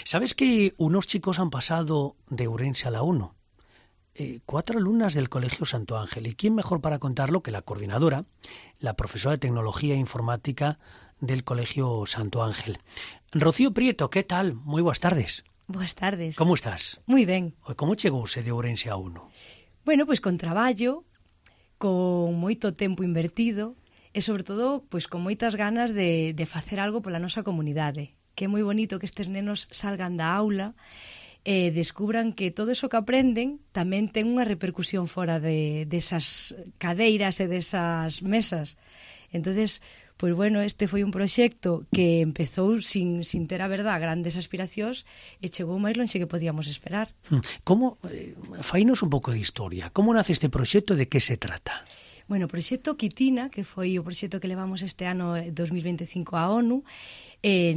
¿Sabes que unos chicos han pasado de Ourense a la ONU? 4 alumnas del Colegio Santo Ángel. ¿Y quién mejor para contarlo que la coordinadora, la profesora de Tecnología e Informática del Colegio Santo Ángel? Rocío Prieto, ¿qué tal? Moi boas tardes. Boas tardes. Como estás? Moi ben. Como chegouse de Ourense a ONU? Bueno, pois con traballo, con moito tempo invertido e, sobre todo, pois con moitas ganas de facer algo pola nosa comunidade. Que é moi bonito que estes nenos salgan da aula e descubran que todo eso que aprenden tamén ten unha repercusión fora desas cadeiras e desas mesas. Entonces, pois bueno, este foi un proxecto que empezou sin ter a verdad grandes aspiracións e chegou máis lonxe que podíamos esperar. Como, fainos un pouco de historia. Como nace este proxecto, de que se trata? Bueno, o proxecto Quitina, que foi o proxecto que levamos este ano 2025 á ONU,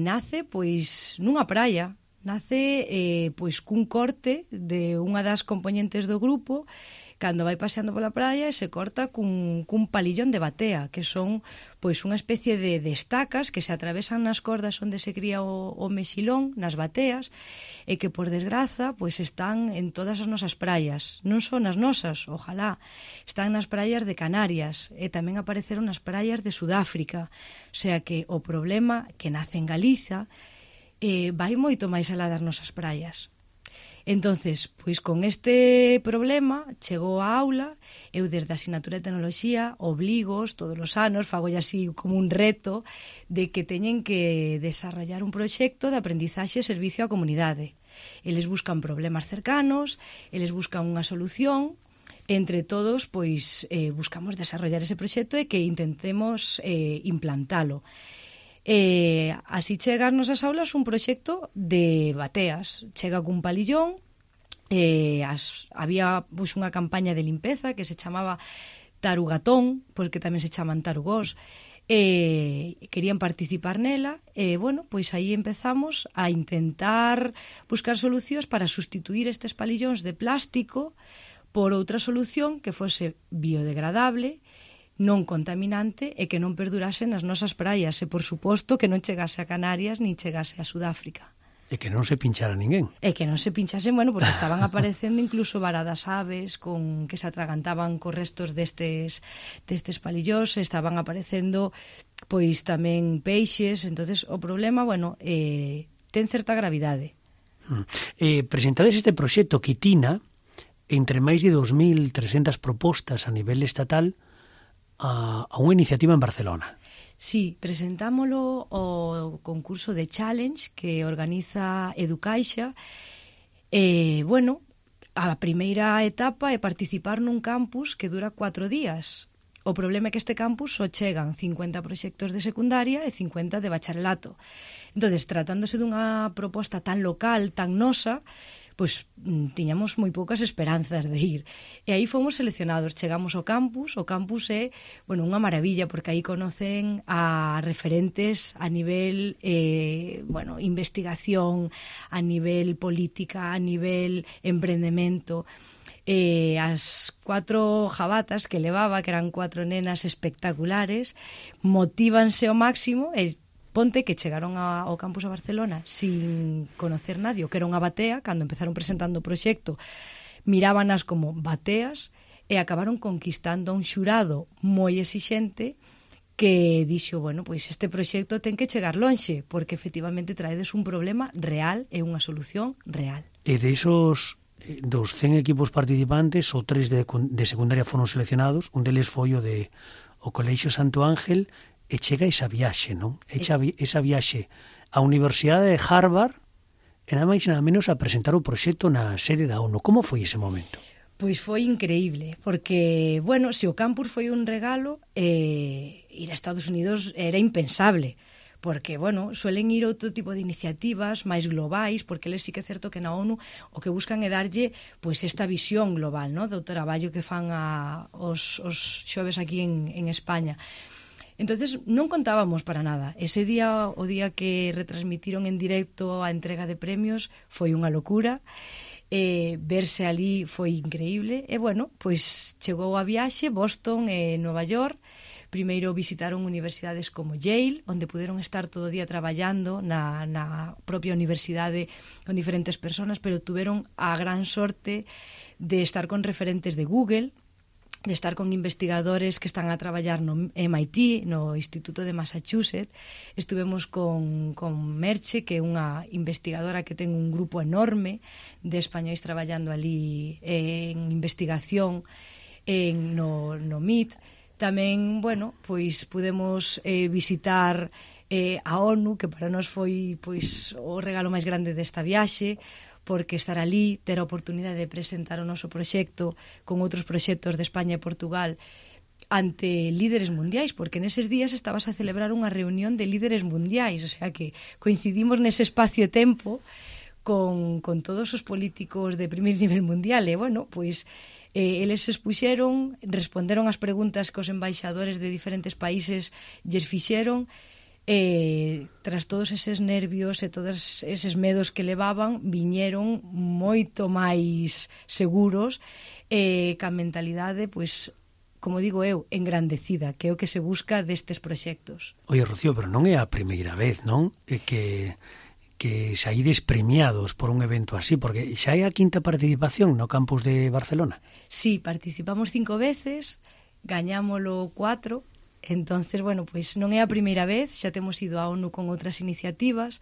nace pois nunha praia. Nace pois cun corte de unha das componentes do grupo cando vai paseando pola praia e se corta cun palillón de batea, que son pois unha especie de estacas que se atravesan nas cordas onde se cría o mexilón, nas bateas, e que por desgraza pois están en todas as nosas praias. Non son as nosas, ojalá, están nas praias de Canarias e tamén apareceron nas praias de Sudáfrica. O sea que o problema que nace en Galiza vai moito máis alá das nosas praias. Entonces, pois con este problema chegou a aula, eu desde a asignatura de Tecnoloxía obligos todos os anos, fagolle así como un reto de que teñen que desarrollar un proxecto de aprendizaxe e servicio á comunidade. Eles buscan problemas cercanos, eles buscan unha solución, entre todos pois buscamos desarrollar ese proxecto e que intentemos implantalo. Así chega ás nosas aulas un proxecto de bateas. Chega cun palillón, había pois, unha campaña de limpeza que se chamaba Tarugatón, porque tamén se chaman tarugós, querían participar nela e, bueno, pois aí empezamos a intentar buscar solucións para sustituir estes palillóns de plástico por outra solución que fose biodegradable, non contaminante e que non perdurase nas nosas praias e, por suposto, que non chegase a Canarias nin chegase a Sudáfrica. E que non se pinchara ninguén. E que non se pinchasen, bueno, porque estaban aparecendo incluso varadas aves que se atragantaban cos restos destes palillós, estaban aparecendo pois tamén peixes, entonces o problema, bueno, ten certa gravidade. Presentades este proxecto Quitina entre máis de 2.300 propostas a nivel estatal a unha iniciativa en Barcelona. Sí, presentámolo ao concurso de Challenge que organiza Educaixa. Bueno, a primeira etapa é participar nun campus que dura 4 días. O problema é que este campus só chegan 50 proxectos de secundaria e 50 de bacharelato. Entonces, tratándose dunha proposta tan local, tan nosa, pois tiñamos moi poucas esperanzas de ir. E aí fomos seleccionados, chegamos ao campus. O campus é, bueno, unha maravilla, porque aí conocen a referentes a nivel, bueno, investigación, a nivel política, a nivel emprendemento. As 4 jabatas que levaba, que eran 4 nenas espectaculares, motívanse ao máximo e ponte que chegaron ao campus a Barcelona sin conocer nadie, que era unha batea. Cando empezaron presentando o proxecto, mirábanas como bateas e acabaron conquistando a un xurado moi exixente que dixo, bueno, pois este proxecto ten que chegar lonxe, porque efectivamente traedes un problema real e unha solución real. E de esos dos 100 equipos participantes, o 3 de secundaria foron seleccionados, un deles foi o Colexio Santo Ángel. E chega esa viaxe, non? Esa viaxe á Universidade de Harvard e nada máis nada menos a presentar o proxecto na sede da ONU. Como foi ese momento? Pois foi increíble, porque, bueno, se o campus foi un regalo, ir a Estados Unidos era impensable, porque, bueno, suelen ir outro tipo de iniciativas máis globais, porque eles sí que é certo que na ONU o que buscan é darlle pois esta visión global, no, do traballo que fan os xoves aquí en España. Entonces non contábamos para nada. Ese día, o día que retransmitiron en directo a entrega de premios, foi unha locura. Verse ali foi increíble. E, bueno, pois chegou a viaxe, Boston e Nova York, Primeiro visitaron universidades como Yale, onde puderon estar todo o día traballando na propia universidade con diferentes personas, pero tuveron a gran sorte de estar con referentes de Google, de estar con investigadores que están a traballar no MIT, no Instituto de Massachusetts. Estuvemos con Merche, que é unha investigadora que ten un grupo enorme de españois traballando ali en investigación no MIT. Tamén, bueno, pois pudemos visitar a ONU, que para nós foi pois o regalo máis grande desta viaxe, porque estar ali, ter a oportunidade de presentar o noso proxecto con outros proxectos de España e Portugal ante líderes mundiais, porque neses días estabas a celebrar unha reunión de líderes mundiais, o sea que coincidimos nese espacio e tempo con todos os políticos de primeiro nivel mundial, e bueno, pois eles se expuxeron, responderon as preguntas que os embaixadores de diferentes países lles fixeron. Tras todos eses nervios e todos eses medos que levaban, viñeron moito máis seguros, ca mentalidade, pois, como digo eu, engrandecida, que é o que se busca destes proxectos. Oye, Rocío, pero non é a primeira vez, non? Que saídes premiados por un evento así, porque xa é a quinta participación no campus de Barcelona. Sí, participamos 5 veces, gañámolo 4. Entonces, bueno, pois non é a primeira vez, xa temos ido á ONU con outras iniciativas,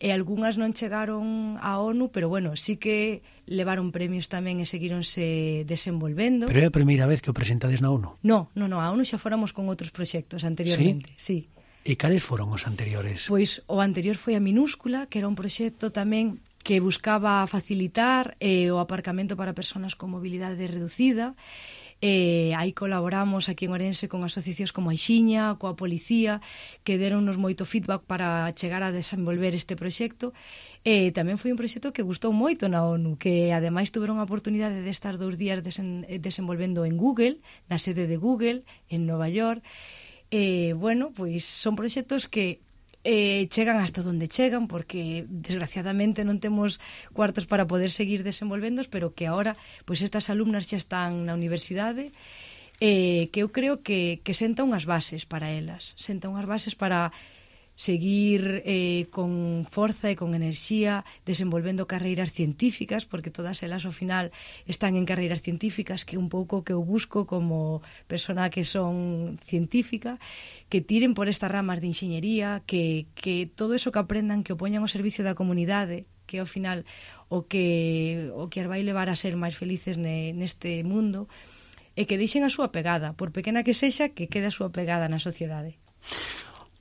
e algunhas non chegaron á ONU, pero bueno, sí que levaron premios tamén e seguíronse desenvolvendo. Pero é a primeira vez que o presentades na ONU? No, a ONU xa fóramos con outros proxectos anteriormente, sí. E cales foron os anteriores? Pois o anterior foi a Minúscula, que era un proxecto tamén que buscaba facilitar o aparcamento para persoas con mobilidade reducida. Aí colaboramos aquí en Ourense con asociacións como a Ixiña, coa policía, que deronnos moito feedback para chegar a desenvolver este proxecto. Tamén foi un proxecto que gustou moito na ONU, que ademais tuveron a oportunidade de estar 2 días desenvolvendo en Google, na sede de Google, en Nova York. Bueno, pois son proxectos que chegan hasta onde chegan, porque desgraciadamente non temos cuartos para poder seguir desenvolvendos, pero que agora pois estas alumnas xa están na universidade, que eu creo que senta unhas bases para elas, senta unhas bases para seguir con forza e con enerxía desenvolvendo carreiras científicas, porque todas elas ao final están en carreiras científicas, que é un pouco que eu busco como persona que son científica, que tiren por estas ramas de enxeñería, que todo eso que aprendan, que o poñan ao servicio da comunidade, que ao final o que as vai levar a ser máis felices neste mundo, e que deixen a súa pegada, por pequena que sexa, que quede a súa pegada na sociedade.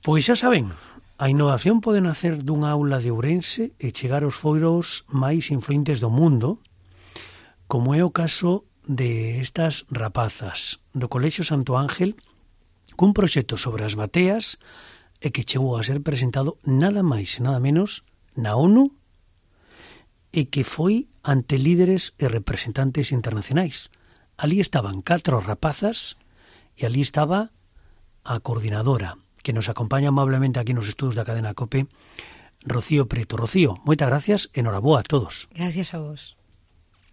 Pois xa saben, a innovación pode nacer dunha aula de Ourense e chegar aos foros máis influentes do mundo, como é o caso de estas rapazas do Colexio Santo Ángel, cun proxecto sobre as bateas e que chegou a ser presentado nada máis e nada menos na ONU e que foi ante líderes e representantes internacionais. Ali estaban 4 rapazas e ali estaba a coordinadora, que nos acompaña amablemente aquí nos estudos da cadena COPE, Rocío Preto. Rocío, moitas gracias e noraboa a todos. Gracias a vos.